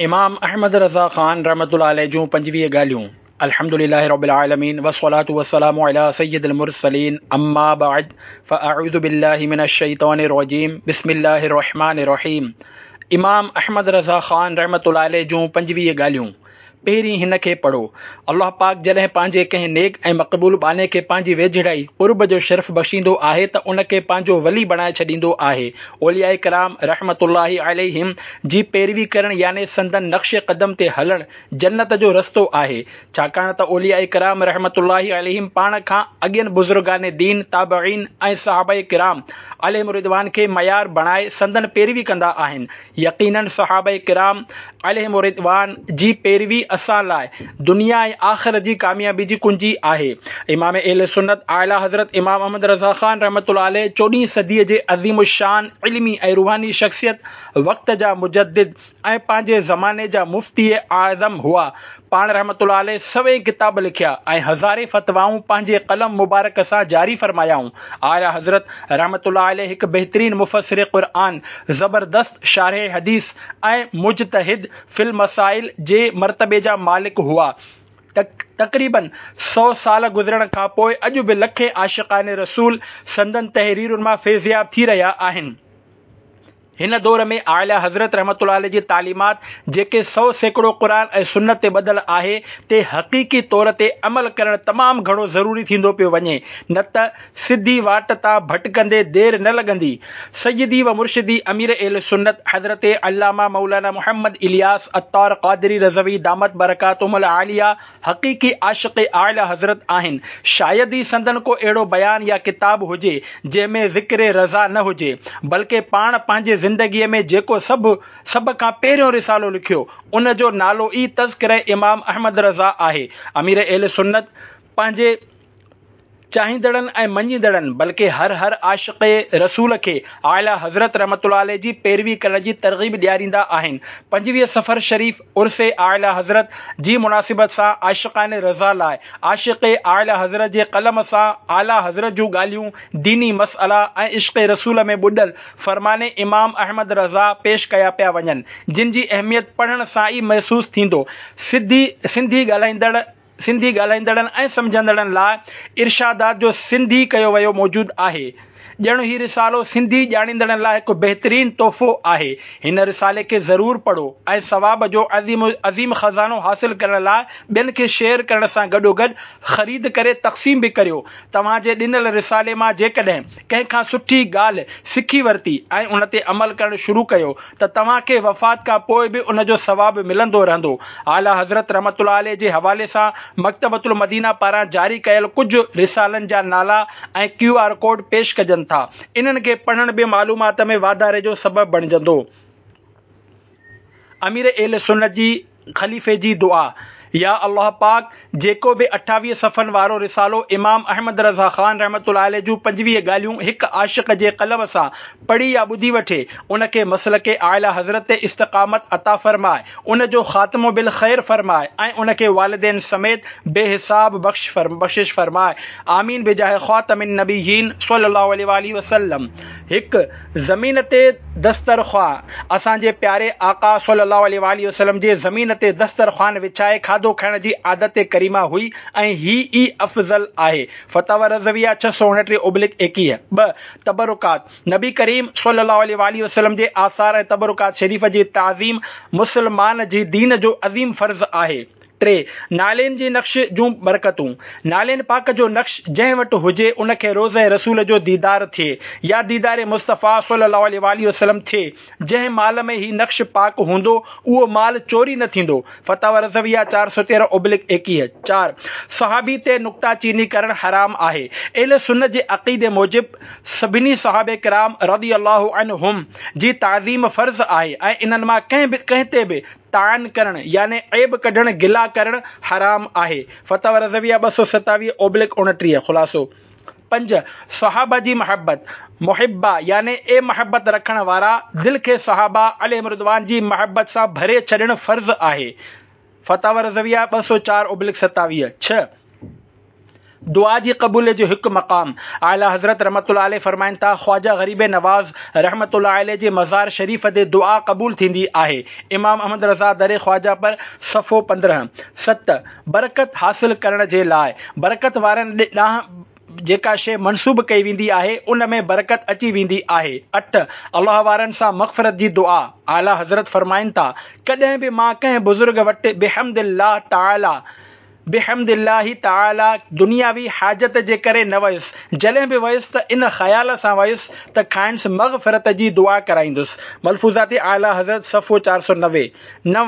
امام احمد رضا خان رحمة الله عليه جون 25 ڳالهيون الحمد لله رب العالمين والصلاة والسلام على سيد المرسلين اما بعد فاعوذ بالله من الشيطان الرجيم بسم الله الرحمن الرحيم امام احمد رضا خان رحمة الله عليه جون 25 ڳالهيون پهرين هن کي پڙهو. الله پاڪ جڏهن پنهنجي ڪنهن نيڪ ۽ مقبول ٻانهي کي پنهنجي ويجهڙائي، قرب، جو شرف بخشيندو آهي ته ان کي پنهنجو ولي بڻائي ڇڏيندو آهي. اولياء ڪرام رحمة الله عليهم جي پيروي ڪرڻ يعني سندن نقش قدم تي هلڻ جنت جو رستو آهي. ڇاڪاڻ ته اولياء ڪرام رحمة الله عليهم پاڻ کان اڳين بزرگان دين، تابعين ۽ صحابه ڪرام عليهم الرضوان کي معيار بڻائي سندن پيروي ڪندا آهن. يقيناً صحابه ڪرام عليهم الرضوان جي پيروي اسان لاء دنيا ۽ آخرت جي ڪاميابي جي ڪنجي آهي. امام اهل سنت اعليٰ حضرت امام احمد رضا خان رحمة الله عليه چوڏهين صديء جي عظيم الشان علمي ۽ روحاني شخصيت، وقت جا مجدد ۽ پنهنجي زماني جا مفتي اعظم هئا. پاڻ رحمة الله عليه سوين ڪتاب لکيا ۽ هزارين فتوائون پنهنجي قلم مبارڪ سان جاري فرمايائون. اعليٰ حضرت رحمة الله عليه هڪ بهترين مفسر قرآن، زبردست شارح حديث ۽ مجتهد في المسائل جي مرتبي جا مالڪ هئا. تقريباً سئو سال گذرڻ کان پوء اڄ به لکين عاشقان رسول سندن تحريرن مان فيضياب ٿي رهيا آهن. هن دور ۾ اعليٰ حضرت رحمة الله عليه جي تعليمات جيڪي 100% قرآن ۽ سنت تي ٻڌل آهي تي حقيقي طور تي عمل ڪرڻ تمام گهڻو ضروري ٿيندو پيو وڃي نه ته سڌي واٽ تان ڀٽڪندي دير نه لڳندي. سيدي و مرشدي امير اهل سنت حضرت علامه مولانا محمد الياس عطار قادري رضوي دامت برڪاتهم العاليه حقيقي عاشق اعليٰ حضرت آهن، شايد ئي سندن ڪو اهڙو بيان يا ڪتاب هجي، جنهن ۾ ذڪر رضا نه هجي، بلڪه پاڻ پنهنجي زندگيء ۾ جيڪو سڀ سڀ کان پهريون رسالو لکيو، ان جو نالو ئي تذڪره امام احمد رضا آهي. امير اهل سنت پنهنجي چاهيندڙن ۽ مڃيندڙن بلڪه هر هر عاشق رسول کي اعليٰ حضرت رحمة الله عليه جي پيروي ڪرڻ جي ترغيب ڏياريندا آهن. 25 صفر شريف عرس اعليٰ حضرت جي مناسبت سان عاشقان رضا لاء عاشق اعليٰ حضرت جي قلم سان اعليٰ حضرت جون ڳالهيون، ديني مسئلا ۽ عشق رسول ۾ ٻڏل فرمان امام احمد رضا پيش ڪيا پيا وڃن، جن جي اهميت پڙهڻ سان ئي محسوس ٿيندو. سڌي سنڌي ڳالهائيندڙ. سنڌي ڳالهائيندڙن ۽ سمجهندڙن لاء ارشادات جو سنڌي ڪيو ويو موجود آهي. ڄڻ هي رسالو سنڌي ڄاڻيندڙن لاء هڪ بهترين تحفو آهي. هن رسالي کي ضرور پڙهو ۽ ثواب جو عظيم عظيم خزانو حاصل ڪرڻ لاء ٻين کي شيئر ڪرڻ سان گڏوگڏ خريد ڪري تقسيم به ڪريو. توهان جي ڏنل رسالي مان جيڪڏهن ڪنهن کان سٺي ڳالهه سکي ورتي ۽ ان تي عمل ڪرڻ شروع ڪيو ته توهان کي وفات کان پوء به ان جو ثواب ملندو رهندو. اعليٰ حضرت رحمة الله عليه جي حوالي سان مڪتبة المدينه پاران جاري ڪيل ڪجهه رسالن جا نالا ۽ ڪيو آر ڪوڊ پيش ڪجن ٿا. انهن کي پڙهڻ به معلومات ۾ واڌاري جو سبب بڻجندو. امير اهل سنت جي خليفي جي دعا، يا الله پاڪ جيڪو به 28 صفحن وارو رسالو امام احمد رضا خان رحمة الله عليه جون 25 ڳالهيون هڪ عاشق جي قلم سان پڙهي يا ٻڌي وٺي ان کي مسلڪ اعليٰ حضرت تي استقامت عطا فرماء ان جو خاتمو بالخير فرماء ۽ ان کي والدين سميت بي حساب بخشش فرماء آمين بجاه خاتم النبيين صلي الله عليه واٰله وسلم هڪ زمين تي دسترخوان، اسان جي پياري آقا صلّي اللّٰه عليه واٰله وسلّم جي زمين تي دسترخوان وڇائي کاڌو کائڻ جي عادت ڪريمه هئي ۽ هي ئي افضل آهي. فتاويٰ رضويه 629 / 21. ٻه. تبرڪات، نبي ڪريم صلّي اللّٰه عليه واٰله وسلّم جي آثار ۽ تبرڪات شريف جي تعظيم مسلمان جي دين جو عظيم فرض آهي. ٽي، نعلين جي نقش جون برڪتون، نعلين پاڪ جو نقش جنهن وٽ هجي ان کي روضه رسول جو ديدار ٿئي يا ديدار مصطفيٰ صلي الله عليه واٰله وسلم ٿئي، جنهن مال ۾ هي نقش پاڪ هوندو اهو مال چوري نه ٿيندو، فتاويٰ رضويه 413/21. چار، صحابي تي نڪته چيني ڪرڻ حرام آهي، اهل سنت جي عقيدي موجب سڀني صحابه ڪرام رضي الله عنهم جي تعظيم فرض آهي ۽ انهن مان ڪنهن به ڪنهن تي به طعن ڪرڻ يعني عيب ڪڍڻ گلا ڪرڻ حرام آهي. فتاويٰ رضويه 227/29 خلاصو. پنج، صحابه جي محبت، محبه يعني اي محبت رکڻ وارا دل کي صحابه عليهم الرضوان جي محبت سان ڀري ڇڏڻ فرض آهي. فتاويٰ رضويه 204/27 ڇهه. دعا جي قبوليت جو هڪ مقام، اعليٰ حضرت رحمة الله عليه فرمائن ٿا، خواجه غريب نواز رحمة الله عليه جي مزار شريف تي دعا قبول ٿيندي آهي. امام احمد رضا در خواجه پر، صفحو 15. ست، برڪت حاصل ڪرڻ جي لاء، برڪت وارن ڏانهن جيڪا شيء منسوب ڪئي ويندي آهي، ان ۾ برڪت اچي ويندي آهي. اٺ، الله وارن سان مغفرت جي دعا، اعليٰ حضرت فرمائن ٿا، ڪڏهن به مان ڪنهن بزرگ وٽ بحمد الله تعاليٰ، بحمد الله تعاليٰ دنياوي حاجت جي ڪري نه ويس، جڏهن به ويس ته ان خيال سان ويس ته کانئس مغفرت جي دعا ڪرائيندس. ملفوظات اعليٰ حضرت صفحو 490. نو،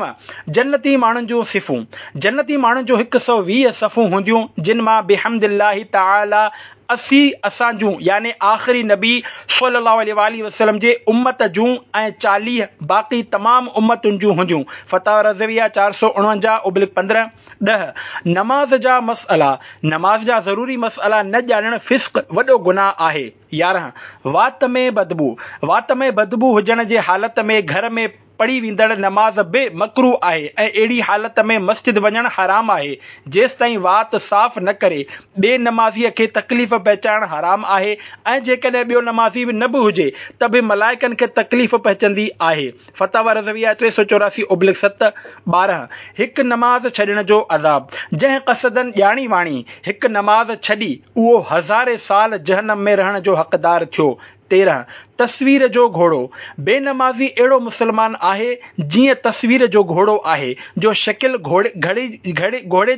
جنتي ماڻهن جون صفون، جنتي ماڻهن جون هڪ سؤ 20 صفون هونديون، جن مان بحمد الله تعاليٰ 80 اسان جون يعني آخري نبي صلّي الله عليه واٰله وسلّم جي امّت جون ۽ 40 باقي تمام امّتن جون هونديون. فتاويٰ رضويه 449/15. 10، نماز جا مسئلا، نماز جا ضروري مسئلا نه ڄاڻڻ فسق وڏو گناهه آهي. 11، وات ۾ بدبو، وات ۾ بدبو هجڻ جي حالت ۾ گهر ۾ پڙهي ويندڙ نماز به مڪروه آهي ۽ اهڙي حالت ۾ مسجد وڃڻ حرام آهي، جيستائين وات صاف نه ڪري. ٻئي نمازيء کي تڪليف پهچائڻ حرام آهي ۽ جيڪڏهن ٻيو نمازي نه به هجي ته به ملائڪن کي تڪليف پهچندي آهي. فتاويٰ رضويه 384/7، 12. هڪ نماز ڇڏڻ جو عذاب، جنهن قصداً ڄاڻي واڻي هڪ نماز ڇڏي اهو هزارين سال جهنم ۾ رهڻ جو حقدار ٿيو. 13، تصوير جو گهوڙو، بي نمازي اهڙو مسلمان آهي جيئن تصوير جو گهوڙو آهي جو شڪل گهوڙي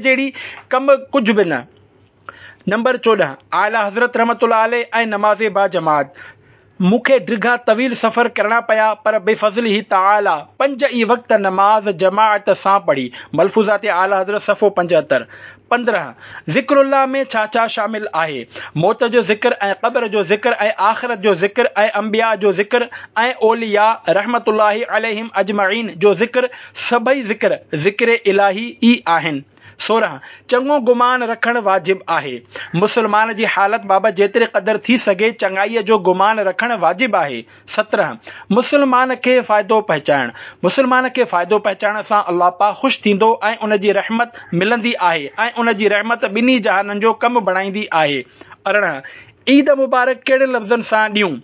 جهڙي ڪم ڪجهه به نه. نمبر 14، اعليٰ حضرت رحمة الله عليه ۽ نماز باجماعت، مون کي ڊگها طويل سفر ڪرڻا پيا پر بفضله تعاليٰ پنج ئي وقت نماز جماعت سان پڙهي. ملفوظات اعليٰ حضرت صفحو 75. 15، ذڪر الله ۾ ڇا ڇا شامل آهي؟ موت جو ذڪر ۽ قبر جو ذڪر ۽ آخرت جو ذڪر ۽ انبياء جو ذڪر ۽ اولياء رحمة الله عليهم اجمعين جو ذڪر سڀئي ذڪر، ذڪر الاهي ئي آهن. 16، چڱو گمان رکڻ واجب آهي. مسلمان جي حالت بابت جيتري قدر ٿي سگهي چڱائيء جو گمان رکڻ واجب آهي. 17، مسلمان کي فائدو پهچائڻ، مسلمان کي فائدو پهچائڻ سان الله پاڪ خوش ٿيندو ۽ ان جي رحمت ملندي آهي ۽ ان جي رحمت ٻنهي جهانن جو ڪم بڻائيندي آهي. 18، عيد مبارڪ ڪهڙن لفظن سان ڏيون؟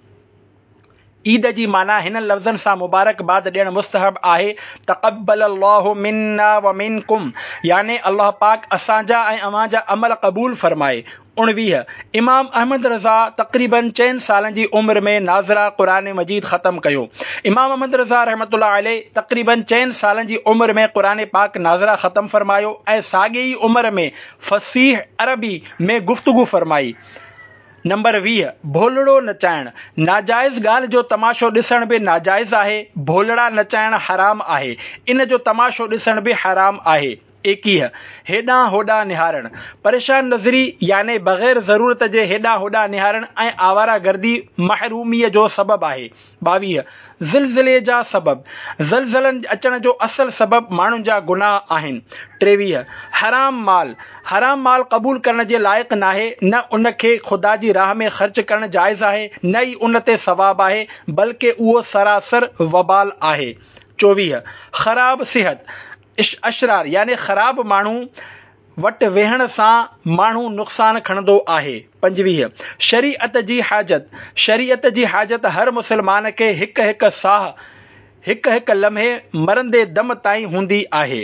عيد جي معنيٰ هنن لفظن سان مبارڪ باد ڏيڻ مستحب آهي، تقبل الله منا ومنڪم يعني الله پاڪ اسان جا ۽ اوهان جا عمل قبول فرمائي. 19، امام احمد رضا تقريباً چئن سالن جي عمر ۾ ناظره قرآن مجيد ختم ڪيو. امام احمد رضا رحمة الله عليه تقريباً چئن سالن جي عمر ۾ قرآن پاڪ ناظره ختم فرمايو ۽ ساڳي ئي عمر ۾ فصيح عربي ۾ گفتگو فرمائي. نمبر 20، ڀولڙو نچائڻ، ناجائز ڳالهه جو تماشو ڏسڻ به ناجائز آهي، ڀولڙا نچائڻ حرام آهي، ان جو تماشو ڏسڻ به حرام آهي. 21، هيڏانهن هوڏانهن نهارڻ، پريشان نظري يعني بغير ضرورت جي هيڏانهن هوڏانهن نهارڻ ۽ آواره گردي محروميء جو سبب آهي. 22، زلزلي جا سبب، زلزلن اچڻ جو اصل سبب ماڻهن جا گناهه آهن. 23، حرام مال، حرام مال قبول ڪرڻ جي لائق ناهي، نه ان کي خدا جي راهه ۾ خرچ ڪرڻ جائز آهي، نه ئي ان تي ثواب آهي، بلڪه اهو سراسر وبال آهي. 24، خراب صحت، اشرار يعني خراب ماڻهو وٽ ويهڻ سان ماڻهو نقصان کڻندو آهي. 25. شريعت جي حاجت، شريعت جي حاجت هر مسلمان کي هڪ هڪ ساهه، هڪ هڪ لمحي مرندي دم تائين هوندي آهي.